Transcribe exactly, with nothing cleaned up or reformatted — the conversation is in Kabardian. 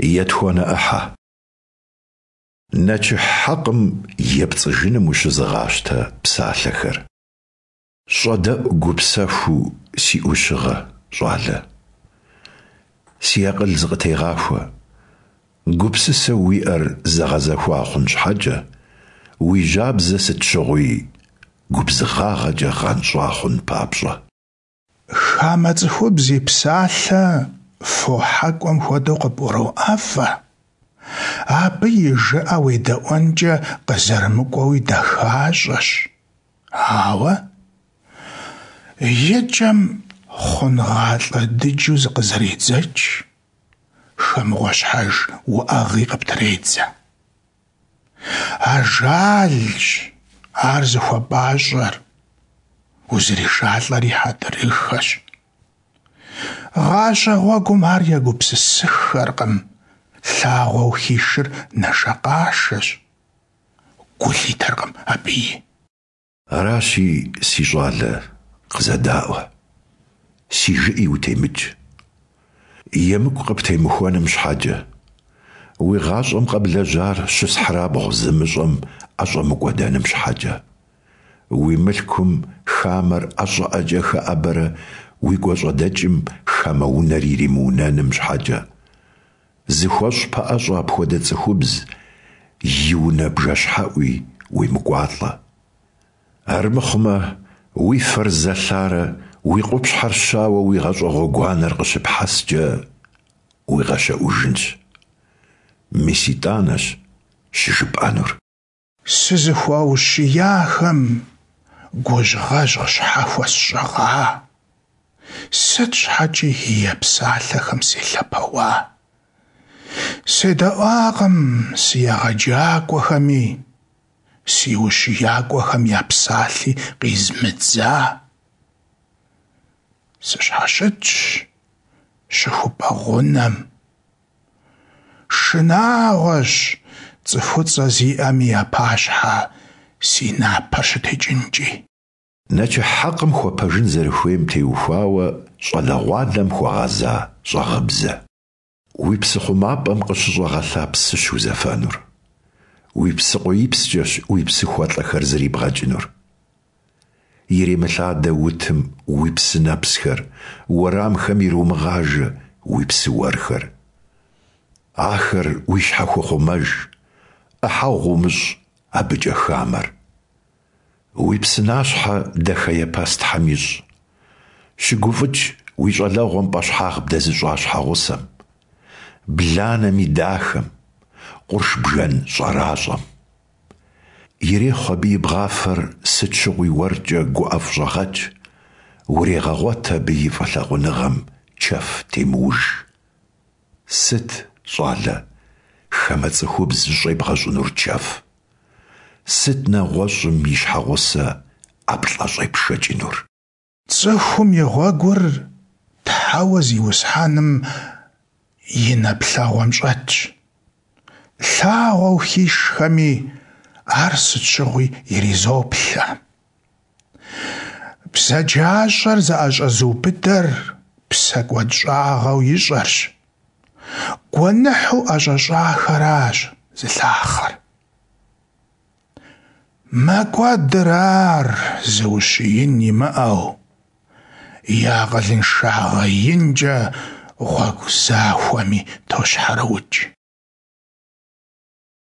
Етхуанэ ӏыхьэ. Нэчыхь хьэкъым епцӏыжыным ущызыгъащтэ псалъэхэр. Щӏэдэӏу гупсэхуу си ӏущыгъэ, щӏалэ. Си акъыл зыкъытегъахуэ. Гупсысэу уиӏэр зэгъэзэхуа хъун щхьэкӏэ, уи жьабзэ сыт щыгъуи губзыгъагъэкӏэ гъэнщӏа хъун папщӏэ. Хамэ цӏыхубз и псалъэ фо хьэкӏуэм хуэдэу къыпӏуроӏэфӏэ, абы и жыӏэ уедэӏуэнкӏэ къызэрымыкӏуэуи дахащӏэщ, ауэ и кӏэм хъунгъалӏэ дыджу зыкъызэредзэкӏ, хэмыгъуэщхьэж уӏэгъи къыптредзэ. Ажалщ ар зыхуэпӏащӏэр, узришалӏэри хьэдрыхэщ. Гъащӏэ гъуэгум ар егупсысыххэркъым, лъагъуэу хишыр нэшэкъашэщ, гу лъитэркъым абыи. Аращи, си щӏалэ, къызэдаӏуэ, си жыӏи утемыкӏ. Емыкӏу къыптемыхуэным щхьэкӏэ, уи гъащӏэм къэблэжьар щысхьырабгъу зымыщӏэм ӏэщӏэмыкӏуэдэным щхьэкӏэ, уи мылъкум хамэр ӏэ щӏыӏэкӏэ хэӏэбэрэ уи гуащӏэдэкӏым хамэ унэр иримыунэным щхьэкӏэ, зыхуэщӏ пэӏэщӏэ апхуэдэ цӏыхубз и унэ бжэщхьэӏуи уемыкӏуалӏэ. Армыхъумэ, уи фэр зэлъарэ уи къупщхьэр щауэ уи гъащӏэ гъуэгуанэр къыщыпхьэскӏэ уигъэщэӏужынщ. Мис итӏанэщ щыжыпӏэнур. Сызыхуаущияхэм гужьгъэжь щхьэ хуэсщӏыгъа? Сыт щхьэкӏи гие псалъэхэм селъэпэуа? Седэӏуакъым си егъэджакӏуэхэми, си ущиякӏуэхэм я псалъи къизмыдза. Сыщхьэщытщ щыхупӏэ гъунэм. Шынагъуэщ цӏыхуцӏэ зиӏэми я пащхьэ си напэр щытекӏынкӏи. Нэчыхь хьэкъым хуэпэжын зэрыхуейм теухуауэ щӏалэгъуалэм хуэгъэза щӏагъыбзэ. Уи псы хъумапӏэм къыщыщӏэгъэлъа псыщ узэфэнур, уи псыкъуиипскӏэщ уи псыхуэлӏэхэр зрибгъэкӏынур. Иремылъадэ утым уи псынэпсхэр, уэрамхэм иромыгъажэ уи псы уэрхэр. Ахэр уи щхьэ хуэхъумэж, ӏыхьэгъу умыщӏ абыкӏэ хамэр. Уи псынащхьэ дахэепэс Тхьэм ищӏ. Щыгуфӏыкӏ уи щӏалэгъуэм пӏэщхьагъ бдэзыщӏа щхьэгъусэм, бланэм и дахэм, къурш бжэн щӏэращӏэм. Ирехъу абы и бгъафэр сыт щыгъуи уэркӏэ гуӏэфӏщӏэгъэкӏ, урегъэгъуэт абы и фӏылъагъуныгъэм чэф темыуж. Сыт, щӏалэ, хамэ цӏыхубз зыщӏебгъэщӏынур чэф? Сыт нэгъуэщӏым и щхьэгъусэ ӏэплӏэ щӏепшэкӏынур? Цӏыхум и гъуэгур Тхьэуэ Зиусхьэным и нэплъэгъуэм щӏэтщ. Лъагъуэу хишхэми ар сыт щыгъуи иризоплъэ. Бзаджащӏэр зыӏэщӏэзыубыдэр псэкӏуэдщӏагъэу ищӏэрщ, гуэныхьу ӏэщӏэщӏахэращ зылъахъэр. Мэкӏуэдыр ар зыущиин имыӏэу, и акъылыншагъэ инкӏэ гъуэгу захуэми тощхьэрыукӏ.